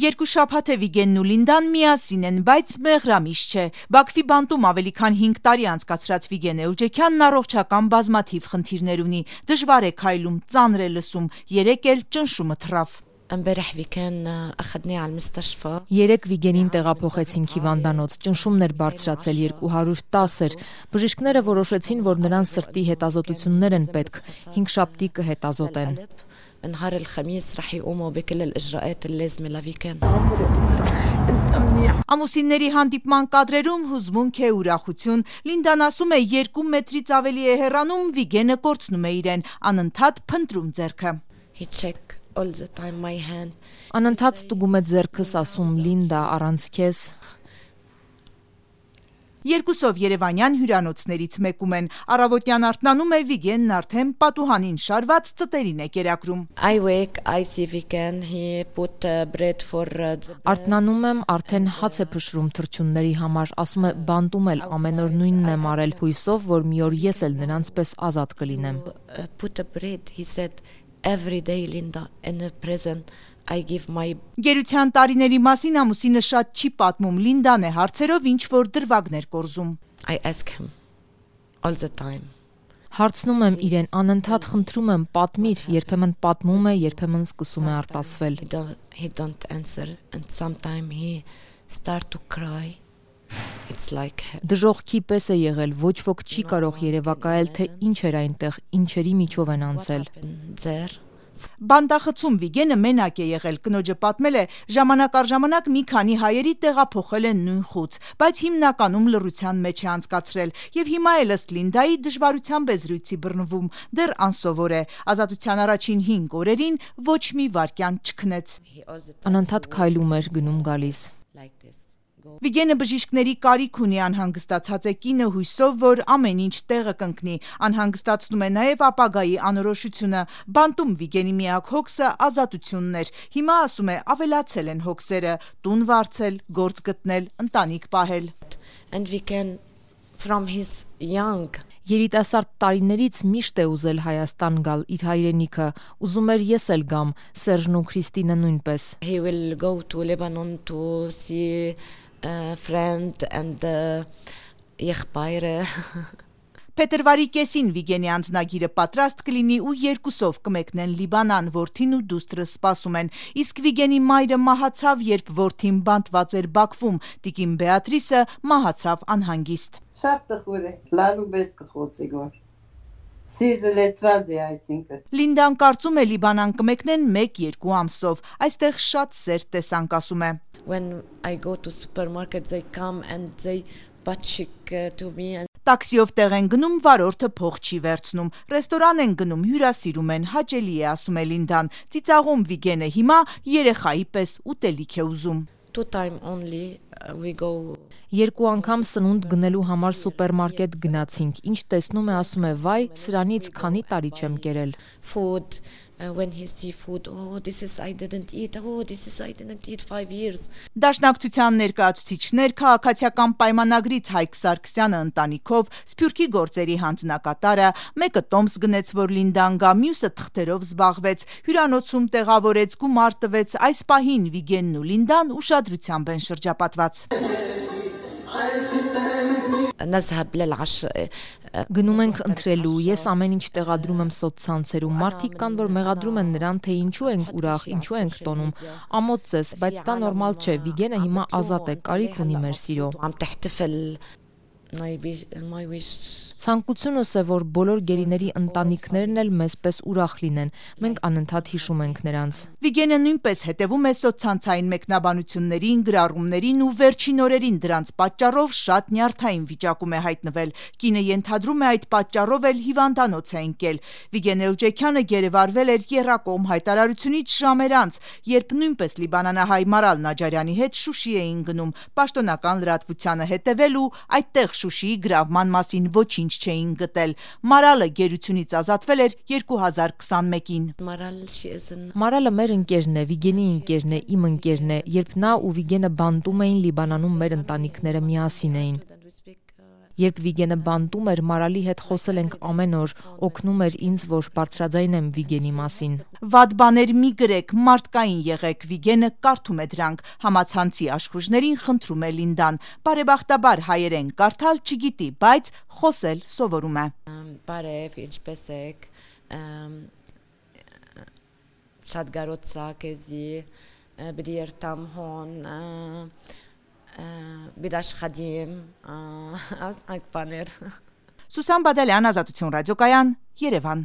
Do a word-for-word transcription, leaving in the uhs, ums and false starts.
Երկու շաբաթ է Վիգենն ու Լինդան միասին են, բայց մեղրամիש չէ։ Բաքվի բանտում ավելի քան հինգ տարի անցկացրած Վիգեն Էլջեքյանն առողջական բազմաթիվ խնդիրներ ունի, դժվար է քայլում, ծանր է լսում, երեկ էլ ճնշումը թռավ։ Երեկ Վիգենին տեղափոխեցինք հիվանդանոց, ճնշումն էր բարձրացել երկու հարյուր տասը, բժիշկները որոշեցին, որ նրան սրտի հետազոտություններ են պետք, հինգշաբթի կհետազոտեն։ نهار الخميس رح يقوموا بكل الإجراءات اللازمة لفيكان. Ամուսինների հանդիպման կադրերում հուզմունք է, ուրախություն։ Լինդան ասում է, երկու մետրից ավելի է հեռանում, Վիգենը կորցնում է իրեն, անընդհատ փնտրում ձեռքը։ He check all the time my hand. Անընդհատ ստուգում է ձեռքս, ասում Լինդա, առանց քեզ։ Երկուսով երևանյան հյուրանոցներից մեկում են, առավոտյան արթնանում է Վիգենն արդեն պատուհանին շարված ծտերին է կերակրում։ I wake, I see Vigen, he put bread for the... Արթնանում եմ, արդեն հաց է փշրում թռչունների համար, ասում է բանտում էլ ամեն օր նույնն եմ արել, հույսով, որ մի օր ես էլ նրանց պես ազատ կլինեմ։ Put a bread, he said, every day Linda in a prison. I give my... Գերության տարիների մասին ամուսինը շատ չի պատմում, Լինդան է հարցերով ինչ որ դրվագներ կորզում։ I ask him all the time. Հարցնում եմ իրեն, անընդհատ խնդրում եմ, պատմիր, երբեմն պատմում է, երբեմն սկսում է արտասվել։ He don't, he don't answer and sometimes he start to cry. It's like... Դժոխքի պես է եղել, ոչ ոք չի կարող երևակայել, թե ինչ էր այնտեղ, ինչերի միջով են անցել։ There. Բանդախցում Վիգենը մենակ է եղել, կնոջը պատմել է, ժամանակ առ ժամանակ մի քանի հայերի տեղափոխել են նույն խուց, բայց հիմնականում լռության մեջ է անցկացրել, եւ հիմա էլ ըստ Լինդայի դժվարությամբ է զրույցի բռնվում, դեռ անսովոր է, ազատության առաջին հինգ օրերին ոչ մի վայրկյան չքնեց։ Անընդհատ քայլում էր, գնում գալիս։ Վիգենը բժիշկների կարիք ունի, անհանգստացած է կինը հույսով, որ ամեն ինչ տեղը կընկնի, անհանգստացնում է նաև ապագայի անորոշությունը, բանտում Վիգենի միակ հոգսը ազատությունն էր, հիմա ասում է ավելացել են հոգսերը, տուն վարձել, գործ գտնել, ընտանիք պահել։ And we can from his young Երիտասարդ տարիներից միշտ է ուզել Հայաստան գալ իր հայրենիքը, ուզում էր ես էլ գամ, Սերժն ու Քրիստինը նույնպես։ He will go to Lebanon to see a friend and եղբայրը։ Փետրվարի կեսին Վիգենի անձնագիրը պատրաստ կլինի ու երկուսով կմեկնեն Լիբանան, որդին ու դուստրը սպասում են, իսկ Վիգենի մայրը մահացավ, երբ որդին բանտված էր Բաքվում, տիկին Բեատրիսը մահացավ անհանգիստ։ Շատ տխուր է, լալու պես կխոցի գոր։ Սիրտը լեցված է այսինքն։ Լինդան կարծում է Լիբանան կմեկնեն մեկ-երկու ամսով, այստեղ շատ սեր տեսանք, ասում է։ When I go to supermarket they come and they պատշիկ to me and Տաքսիով տեղ են գնում, վարորդը փող չի վերցնում, ռեստորան են գնում, հյուրասիրում են, հաճելի է, ասում է Լինդան, ծիծաղում Վիգենը հիմա երեխայի պես ուտելիք է ուզում։ Two time only we go. Երկու անգամ սնունդ գնելու համար սուպերմարկետ գնացինք, ինչ տեսնում է, ասում է, վայ, սրանից քանի տարի չեմ կերել։ Food, uh, when he see food, oh this is I didn't eat, oh this is I didn't eat five years. Դաշնակցության ներկայացուցիչներ, քաղաքացիական պայմանագրից Հայկ Սարգսյանը ընտանիքով, Սփյուռքի գործերի հանձնակատարը, մեկը տոմս գնեց, որ Լինդան գա, մյուսը թղթերով զբաղվեց, հյուրանոցում տեղավորեց, գումար տվեց, այս պահին Վիգենն ու Լինդան ուշադրությամբ են շրջապատված։ نذهب للعشاء Գնում ենք ընտրելու, ես ամեն ինչ տեղադրում եմ սոցցանցերում, մարդիկ կան, որ մեղադրում են նրան, թե ինչու ենք ուրախ, ինչու ենք տոնում, ամոթ ձեզ, բայց դա նորմալ չէ, Վիգենը հիմա ազատ է, կարիք ունի մեր սիրո։ Ցանկությունս է, որ բոլոր գերիների ընտանիքներն էլ մեզպես ուրախ լինեն, մենք անընդհատ հիշում ենք նրանց։ Վիգենը նույնպես հետևում է սոցցանցային մեկնաբանություններին, գրառումներին ու վերջին օրերին դրանց պատճառով շատ նյարդային վիճակում է հայտնվել։ Կինը ենթադրում է այդ պատճառով էլ հիվանդանոց է ընկել։ Վիգեն Էլջեքյանը գերեվարվել էր եռակողմ հայտարարությունից ժամեր անց, երբ նույնպես լիբանանահայ Մարալ Նաջարյանի հետ Շուշի էին գնում, պաշտոնական լրատվությանը հետևել ու այդտեղ Շուշիի գրավման մասին ոչինչ չէին գտել։ Մարալը գերությունից ազատվել էր երկու հազար քսանմեկին։ Մարալը մեր ընկերն է, Վիգենի ընկերն է, իմ ընկերն է, երբ նա ու Վիգենը բանտում էին Լիբանանում, մեր ընտանիքները միասին էին։ Երբ Վիգենը բանտում էր, Մարալի հետ խոսել ենք ամեն օր, օգնում էր ինձ, որ բարձրաձայնեմ Վիգենի մասին։ Վատ բաներ մի գրեք, մարդկային եղեք, Վիգենը կարդում է դրանք, համացանցի աշխուժներին խնդրում է Լինդան։ Բարեբախտաբար հայերեն կարդալ չգիտի, բայց խոսել սովորում է։ Բարև, ինչպես եք, շատ գարոցա քեզի, բդի երթամ հոն, բիդաշխադիմ, այս այդ բաներ։ Սուսան Բադալյան, Ազատություն ռադիոկայան, Երևան։